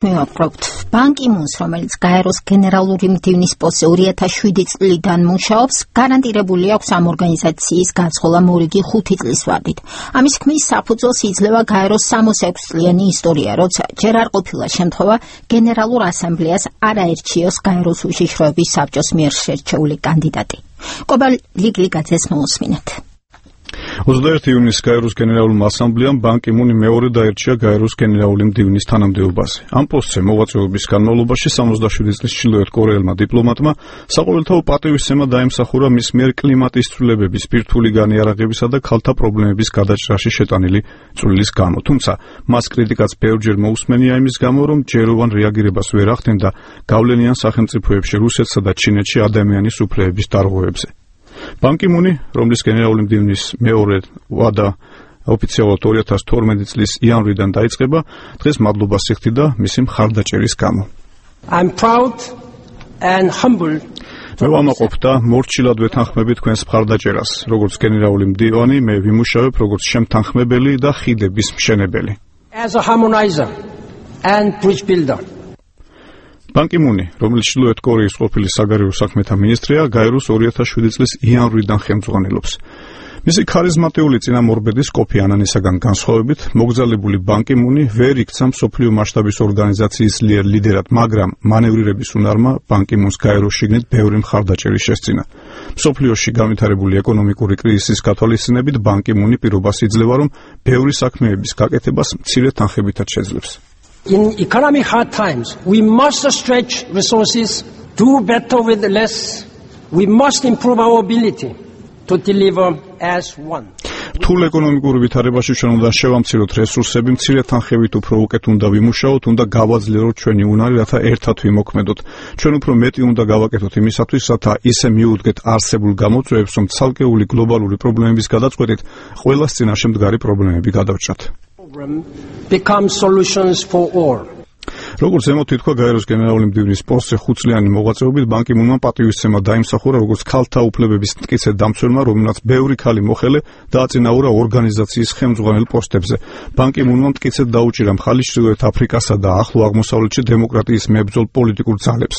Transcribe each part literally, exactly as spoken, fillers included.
მივაპყრობთ ბან კი მუნს, რომელიც გაეროს გენერალური მდივნის პოსტზე ორი ათას შვიდი წლიდან მუშაობს, გარანტირებული აქვს ამ ორგანიზაციის გაცხოლა მორიგი ხუთი წლის ვადით. ამის ქმნის საფუძველს იძლევა გაეროს სამოცი ექვსი წლიანი ისტორია, როცა ჯერ არ ყოფილა შემთხვევა გენერალურ ასამბლეას არ აერჩიოს გაეროს უშიშროების საბჭოს მიერ შერჩეული კანდიდატი. კობალ ლიგლიგაძეს მოусმინეთ. ოცდაერთი ივნისის გაეროს გენერალურმა ასამბლეამ ბან კი მუნი მეორედ აერჩია გაეროს გენერალური მდივნის თანამდებობაზე. ამ პოსტზე მოღვაწეობის განმავლობაში სამოცდაშვიდი წლის ჩრდილოეთ კორეელმა დიპლომატმა საყოველთაო პატივისცემა დაიმსახურა მის მიერ კლიმატის ცვლილებების, ბირთვული განიარაღებისა და ქალთა პრობლემების გადაჭრაში შეტანილი წვლილის გამო. თუმცა მას კრიტიკაც ბევრჯერ მოусმენია იმის გამო, რომ ჯეროვან რეაგირებას ვერ ახდენდა გავლენიან სახელმწიფოებში რუსეთსა და ჩინეთში ადამიანის უფლებების დარღვევებზე. ბან კი მუნი, რომლის გენერალური მდივნის მეორე ვადა ოფიციალურად ორი ათას თორმეტი წლის იანვრიდან დაიწყება, დღეს მადლობას იხდიდა მისი მხარდაჭერის გამო. I'm proud and humbled. მე ვამაყობ და მორჩილად ვეთანხმები თქვენს მხარდაჭერას. როგორც გენერალური მდივანი, მე ვიმუშავებ როგორც შემთანხმებელი და ხიდების მშენებელი. As a harmonizer and bridge builder. ბან კი მუნი, რომელიც ჩრდილოეთ კორეის ყოფილი საგარეო საქმეთა მინისტრია, გაეროს ორი ათას შვიდი წლის იანვრიდან ხელმძღვანელობს. მისი ქარიზმატიული წინამორბედის კოფი ანანისაგან განსხვავებით, მოგზაურებული ბან კი მუნი ვერ იქცა მსოფლიო მასშტაბის ორგანიზაციის ლიდერად, მაგრამ მანევრირების უნარმა ბან კი მუნს გაეროს შიგნით ბევრი მხარდაჭერი შესწინა. მსოფლიოში განვითარებული ეკონომიკური კრიზისის გათვალისწინებით ბან კი მუნი პირობას იძლევა, რომ ბევრი საქმეების გაკეთებას მცირე თანხებითაც შეძლებს. In economic hard times, we must stretch resources, do better with less. We must improve our ability to deliver as one. Თულ ეკონომიკურ ვითარებაში ჩვენ უნდა შევამციროთ რესურსები, მცირე თანხებით უფრო უკეთ უნდა ვიმუშაოთ, უნდა გავაძლიეროთ ჩვენი უნარი, რათა ერთად ვიმოქმედოთ. ჩვენ უფრო მეტი უნდა გავაკეთოთ იმისათვის, რათა ისე მიუდგეთ არსებულ გამოწვევებს, რომ ცალკეული გლობალური პრობლემების გადაწყვეტით ყველას წინაშე მდგარი პრობლემები გადავჭრათ. Become solutions for all. როგორც ემოთ ითქვა გაეროს გენერალური მდივნის პოსტზე ხუთწლიანი მოღვაწეობით ბან კი მუნმა პატივისცემა დაიმსახურა როგორც ქალთა უფლებების მტკიცედ დამცველმა, რომელმაც ბევრი ქალი მოხელე დააწინაურა ორგანიზაციის ხელმძღვანელ პოსტებზე. ბან კი მუნმა მტკიცედ დაუჭირა მხარი ჩრდილოეთ აფრიკასა და ახლო აღმოსავლეთში დემოკრატიის მებრძოლ პოლიტიკურ ძალებს.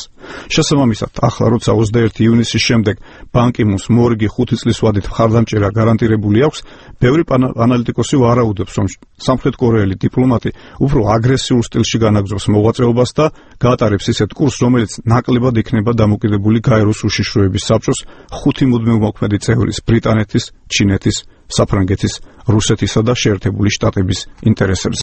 შესაბამისად, ახლა როცა ოცდაერთი ივნისის შემდეგ ბან კი მუნს მორიგი ხუთი წლის ვადით მხარდამჭერა გარანტირებული აქვს, ბევრი ანალიტიკოსი ვარაუდობს, რომ სამხრეთ კორეელი დიპლომატი უფრო აგრესიულ სტილში განაგრძობს მოღვაწეობას და გაატარებს ისეთ კურსს, რომელიც ნაკლებად იქნება დამოკიდებული გაეროს უშიშროების საბჭოს ხუთი მუდმივ მოქმედი წევრის ბრიტანეთის, ჩინეთის, საფრანგეთის, რუსეთისა და შეერთებული შტატების ინტერესებზე.